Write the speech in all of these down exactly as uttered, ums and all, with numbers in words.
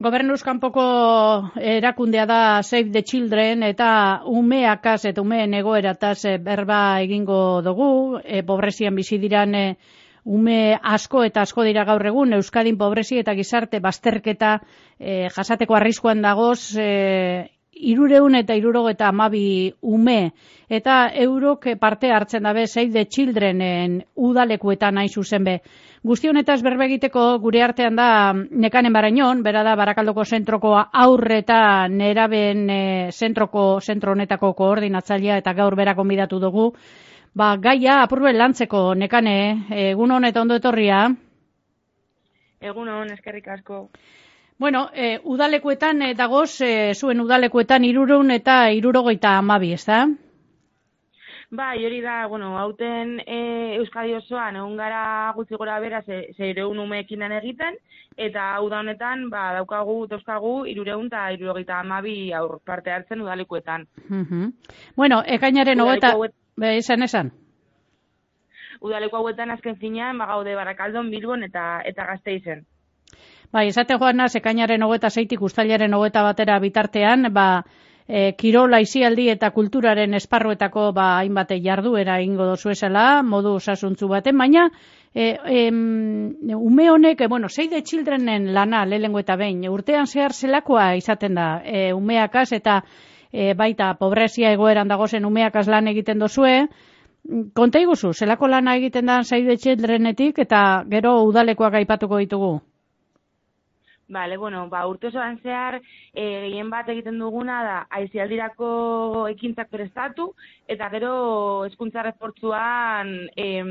Gobernuz kanpoko erakundea da Save the Children eta umeakaz eta umeen egoerataz berba egingo dugu, e, pobrezian bizi diran e, ume asko eta asko dira gaur egun, Euskadin pobrezi eta gizarte bazterketa e, jasateko arriskuan dagoz, e, irureun eta irurogeta amabi ume, eta eurok parte hartzen dabe Save the Childrenen udalekuetan hain zuzen be. Guzti honetaz berba egiteko gure artean da Nekanen Barañon, bera da Barakaldoko zentroko aurre eta neraben e, zentroko zentro honetako koordinatzailea eta gaur bera gonbidatu dugu. Ba, gaia apurbe lantzeko, Nekane, egun hon eta ondo etorria. Egun hon, eskerrik asko. Bueno, e, udalekuetan e, dagoz, e, zuen udalekuetan irureun eta irurogeita amabi, ez da? Bai, hori da, bueno, hauten e, Euskadi osoan egun gara gutxi gora bera zeireun umeekin lan egiten, eta uda honetan ba, daukagu, dauzkagu irureun eta irurogeita amabi aur parte hartzen udalekuetan. Uh-huh. Bueno, ekainaren hogeta... Be, esan, esan. Udaleku hauetan azken finean, bagaude Barakaldon, Bilbon eta eta Gasteizen. Bai, esate joan naz, ekainaren hogeta zeitik ustailaren hogeta batera bitartean, ba, e, kirol aisialdi eta kulturaren esparruetako ba, hainbate jarduera ingo dozu esela, modu osasuntzu baten, baina e, em, ume honek, e, bueno, Save the Childrenen lana lehengo eta behin, urtean zehar zelakoa izaten da, e, umeakaz eta E, baita pobrezia egoeran dagozen umeakaz lan egiten dozue, konta iguzu, zelako lana egiten da Save the Childrenetik eta gero udalekoak aipatuko ditugu? Bale, bueno, ba, urte osoan zehar, e, gehien bat egiten duguna da, aisialdirako ekintzak prestatu, eta gero hezkuntza refortzuan em,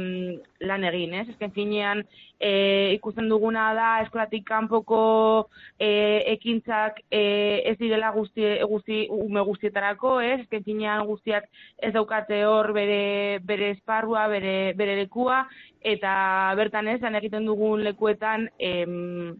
lan egin, ez? Ezken finean, e, ikusten duguna da, eskolatik kanpoko e, ekintzak e, ez direla guzti, guzti, ume guztietarako, ez? Ezken finean guztiak ez daukate hor bere, bere esparrua, bere, bere lekua, eta bertan ez, lan egiten dugun lekuetan, em,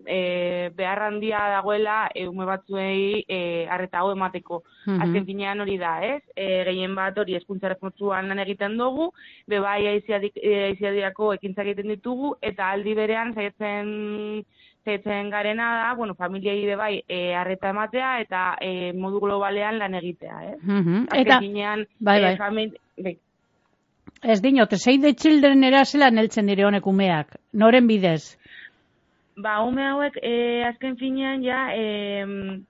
E, behar handia dagoela e, ume batzuei e, arreta hau emateko. Uh-huh. Azken finean hori da, ez? E, gehien bat hori hezkuntza refortzuan lan egiten dugu, bebai aiziadirako ekintzak egiten ditugu, eta aldi berean saiatzen saiatzen garena da, bueno, familiei bebai e, arreta ematea eta e, modu globalean lan egitea, ez? Uh-huh. Azken eta, finean, bai, bai. E, famili... Bai. Ez dinote, Save the Children erasela neltzen dire honek umeak, noren bidez? Ba, ume hauek, e, azken finean, ja, e,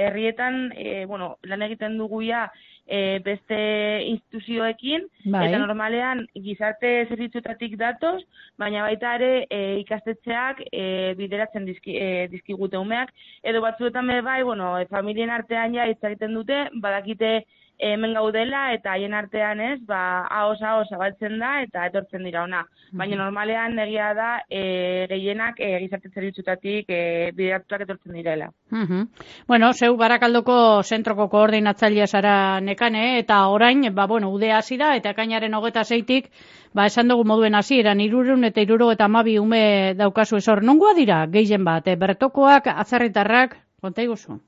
herrietan, e, bueno, lan egiten dugu ja, e, beste instituzioekin, bai. Eta normalean gizarte zerbitzuetatik datoz, baina baita ere e, ikastetxeak e, bideratzen dizki, e, dizkigute umeak, edo batzuetan bai, bueno, e, familien artean ja hitz egiten dute, badakite hemen gaudela eta haien artean ez, ba, ahoz ahoz zabaltzen da eta etortzen dira ona. Baina normalean egia da e, gehienak e, gizarte zerbitzutatik e, bideratuak etortzen direla. Uh-huh. Bueno, zeu Barakaldoko zentroko koordinatzailea zara Nekane, eta orain, ba, bueno, ude hasi da, eta ekainaren hogeta zeitik, ba, esan dugu moduen hasieran irureun eta irurogeita hamabi ume daukazu esor. Nongoa dira, gehien bat, e, bertokoak, atzerritarrak, konta iguzu?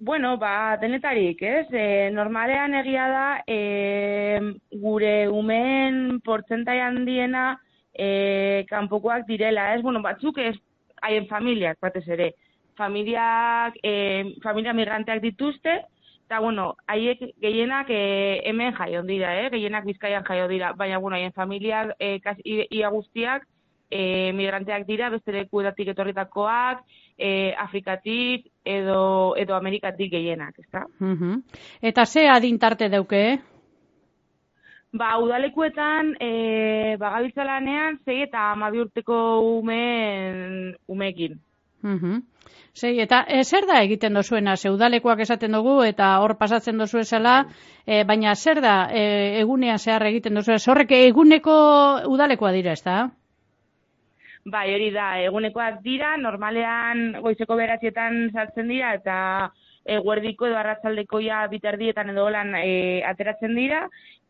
Bueno, ba, denetarik, ez? E, normalean egia da, e, gure umeen portzentai handiena e, kanpokoak direla, ez? Bueno, batzuk ez, haien familiak, batez ere. Familiak, e, familia migranteak dituzte, eta, bueno, haiek gehienak e, hemen jaio dira, eh? Gehienak Bizkaian jaio dira, baina, bueno, haien familiak, e, kas, ia guztiak, E, migranteak dira, beste lekuetatik etorritakoak, e, Afrikatik edo, edo Amerikatik gehienak, ezta? Uh-huh. Eta ze adintarte dauke? Ba, udalekuetan, e, bagabiltza lanean, zei eta hamabi urteko umeen, umeekin. Uh-huh. Sei, eta e, zer da egiten dozuena? Ze udalekoak esaten dugu eta hor pasatzen dozu esela, e, baina zer da e, egunean zehar egiten dozu? Horrek eguneko udalekoa dira, ezta? Bai, hori da, egunekoak dira, normalean goizeko beratietan sartzen dira, eta eguerdiko edo arratsaldeko ja bitardietan edo lan e, ateratzen dira,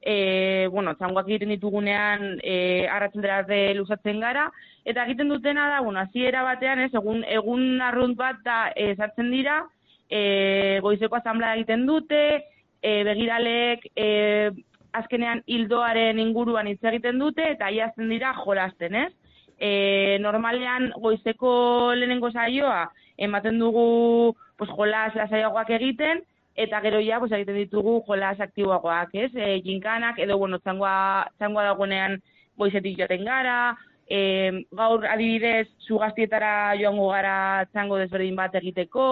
e, bueno, txangoak egiten ditugunean e, arratsaldera arte luzatzen gara, eta egiten dutena da, bueno, hasiera batean, ez, egun, egun arrunt bat da e, sartzen dira, e, goizeko asamblea egiten dute, e, begiralek e, azkenean hildoaren inguruan hitz egiten dute, eta iazten dira jolasten, ez? E, normalean goizeko lehenengo saioa ematen dugu pues, jolas lasaiagoak egiten, eta gero ja pues, egiten ditugu jolas aktiboagoak, ez? E, jinkanak, edo bueno, txangoa, txangoa dagoenean goizetik joaten gara, e, gaur adibidez Zugaztietara joango gara txango desberdin bat egiteko,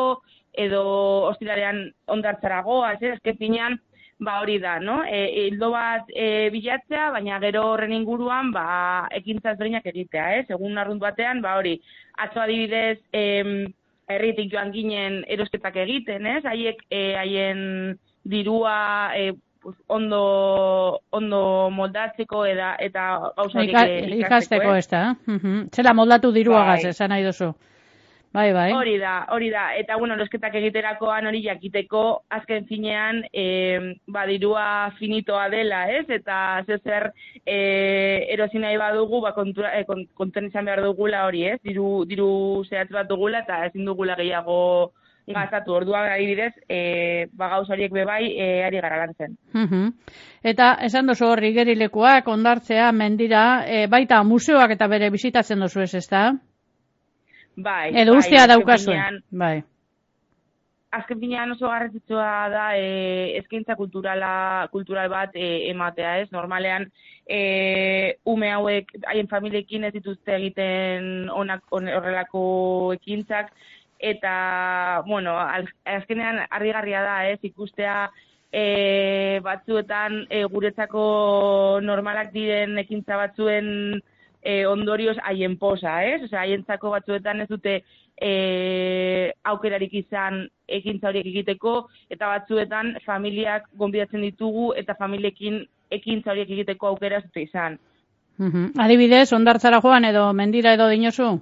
edo ostiralean hondartzara goaz, ez? Azken finean, ba hori da, no? E, hildo bat e, bilatzea, baina gero horren inguruan ba ekintza ezberdinak egitea, ez? Egun arrunt batean, ba hori, atzo adibidez, em, herritik joan ginen erosketak egiten, ez? Haiek e, haien dirua e, pues, ondo ondo moldatzeko eta eta gauza horiek Ika, ikasteko, ikasteko, ez da? Uh-huh. Zela moldatu diruagaz, bai. Esan nahi duzu. Bai, bai. Hori da, hori da. Eta, bueno, erosketak egiterakoan hori jakiteko, azken finean, e, ba, dirua finitoa dela, ez? Eta zer e, erosi nahi badugu, ba, kontura, e, konten izan behar dugula hori, ez? Diru, diru zehatz bat dugula eta ezin dugula gehiago gazatu. Orduan, adibidez, e, ba, gauz horiek bebai, e, ari gara lantzen. Uh-huh. Eta, esan duzu hor, igerilekuak, ondartzea, mendira, e, baita museoak eta bere bizitatzen duzu ez, ez da? Bai, edo ustea bai, daukazuen. Bai. Azken finean oso garrantzitsua da e, eskaintza kulturala, kultural bat e, ematea, ez? Normalean e, ume hauek haien familiekin ez dituzte egiten onak on, horrelako ekintzak, eta, bueno, azkenean harrigarria da, ez? Ikustea e, batzuetan e, guretzako normalak diren ekintza batzuen E, ondorioz haien posa, ez? Osea, haientzako batzuetan ez dute e, aukerarik izan ekintza horiek egiteko, eta batzuetan familiak gonbidatzen ditugu eta familiekin ekintza horiek egiteko aukera ez dute izan. Uh-huh. Adibidez, hondartzara joan edo mendira edo dinozu?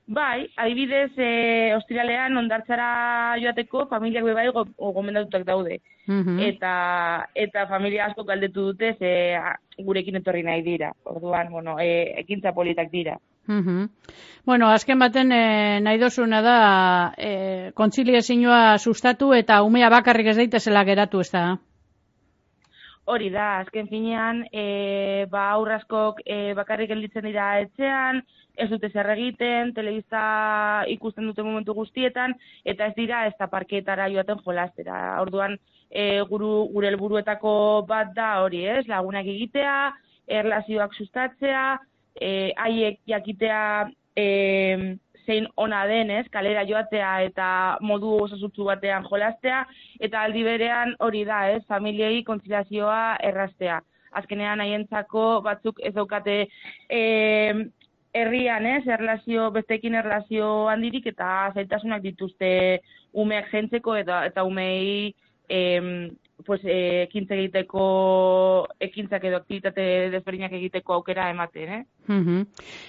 Bai, adibidez, e, ostiralean hondartzara joateko familiak bebai gomendatutak daude. Uh-huh. Eta eta familia asko galdetu dute ze gurekin etorri nahi dira. Orduan, bueno, e, ekintza politak dira. Uh-huh. Bueno, azken baten e, nahi dozuna da e, kontziliazioa sustatu eta umea bakarrik ez daitezela geratu, ez da? Hori da, azken finean, e, ba, aurraskok e, bakarrik gelditzen dira etxean, ez dute zer egiten, telebista ikusten dute momentu guztietan, eta ez dira ez da parkeetara joaten jolastera. Orduan, e, guru, gure helburuetako bat da hori, ez? Lagunak egitea, erlazioak sustatzea, e, haiek jakitea e, zein ona denez, kalera joatea eta modu osasutsu batean jolastea, eta aldi berean hori da, ez, familiei kontziliazioa erraztea. Azkenean haientzako batzuk ez daukate e, herrian, ez, erlazio, besteekin erlazio handirik eta zailtasunak dituzte umeak jentzeko eta, eta umei e, pues, e, ekintza egiteko, ekintzak edo aktivitate desberdinak egiteko aukera ematen, eh? Uh-huh.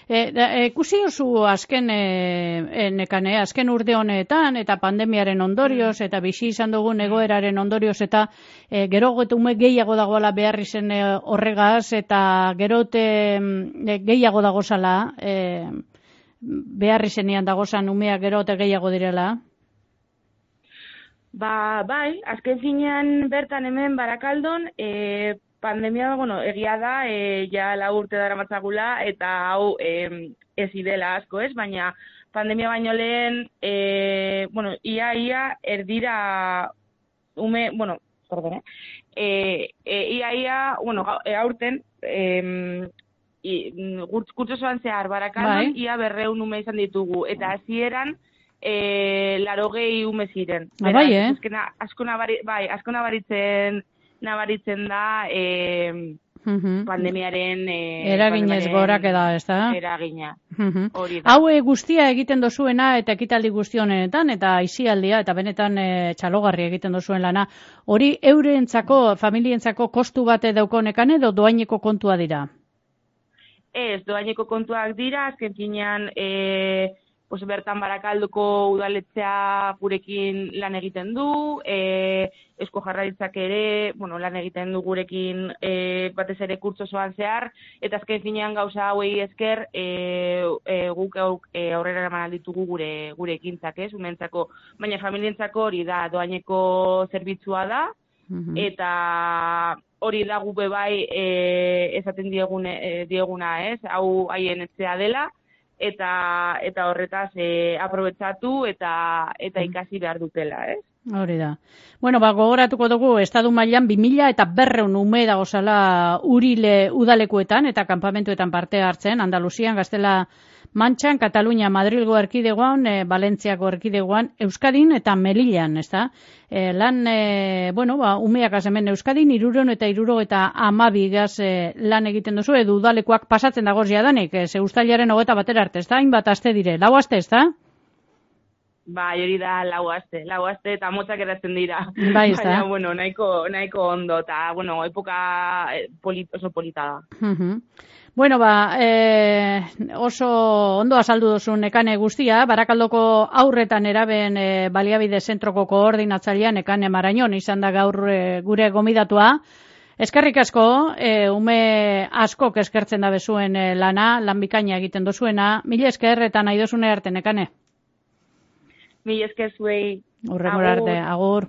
E, ikusi oso azken e, nekane, azken urte honetan eta pandemiaren ondorioz eta bizi izan dugun egoeraren ondorioz eta e, gero ume gehiago dagoela behar izen e, horregaz eta gerote e, gehiago dagozala e, behar izenean dagozan umeak gerote gehiago direla. Ba, bai, azken finean bertan hemen Barakaldon, e, pandemia, bueno, egia da, e, ja lau urte dara matzagula, eta hau e, ez idela asko ez, baina pandemia baino lehen, e, bueno, ia, ia, erdira, ume, bueno, perdón, eh, e, ia, ia, bueno, e, aurten, e, kurtsosoan zehar Barakaldon, bai. Ia berreun ume izan ditugu, eta hasieran E, larogei ume ziren. Ah, bai, eh? Azkena, asko, nabari, bai, asko nabaritzen, nabaritzen da e, uh-huh. pandemiaren... E, eraginez gorak eda, ez da? Eragina. Uh-huh. Hau e, guztia egiten dozuena eta ekitaldi guztionetan eta aisialdia eta benetan e, txalogarri egiten dozuen lana. Hori eurentzako, familientzako kostu bate daukonekan edo doaineko kontua dira? Ez, doaineko kontuak dira, azken finean... E, Pues bertan Barakalduko udaletxea gurekin lan egiten du, e, Eusko Jaurlaritzak ere, bueno, lan egiten du gurekin e, batez ere kurtsosoan zehar, eta azken finean gauza hauei esker e, e, guk e, aurrera eraman ditugu gure gure ekintzak, ez, umentzako, baina familientzako hori da, doaineko zerbitzua da, uh-huh. eta hori da gube bai e, esaten diegune, e, dieguna, ez? Hau haien etxea dela, eta eta horretaz e, aprobetxatu eta eta ikasi behar dutela, ez? Hori da. Bueno, ba, gogoratuko dugu, estadu mailan bi mila eta berreun ume dagozala urile udalekuetan eta kanpamentuetan parte hartzen, Andaluzian, Gaztela Mantxan, Katalunia, Madrilgo erkidegoan, e, Valentziako erkidegoan, Euskadin eta Melillan, ezta? E, lan, e, bueno, ba, umeak hemen Euskadin, irureun eta iruro eta amabigaz e, lan egiten duzu, edu udalekuak pasatzen dagoz jadanik, e, ze ustailaren hogeta batera arte, ezta? Hainbat aste dire, lau aste, ezta? Ba, hori da lau aste, lau aste eta motzak eratzen dira. Bai, ez da. Baina, bueno, nahiko, nahiko ondo, eta, bueno, epoka polit, oso polita da. Uh-huh. Bueno, ba, e, oso ondo azaldu duzu Nekane guztia, Barakaldoko aurretan eraben e, baliabide zentroko koordinatzailea Nekane Marañon izan da gaur e, gure gomidatua. Eskerrik asko, e, ume askok eskertzen da bezuen e, lana, lan bikaina egiten dozuena. Mila esker eta nahi dozune arte, Nekane. Mila esker zuei. Urrengora arte, agur.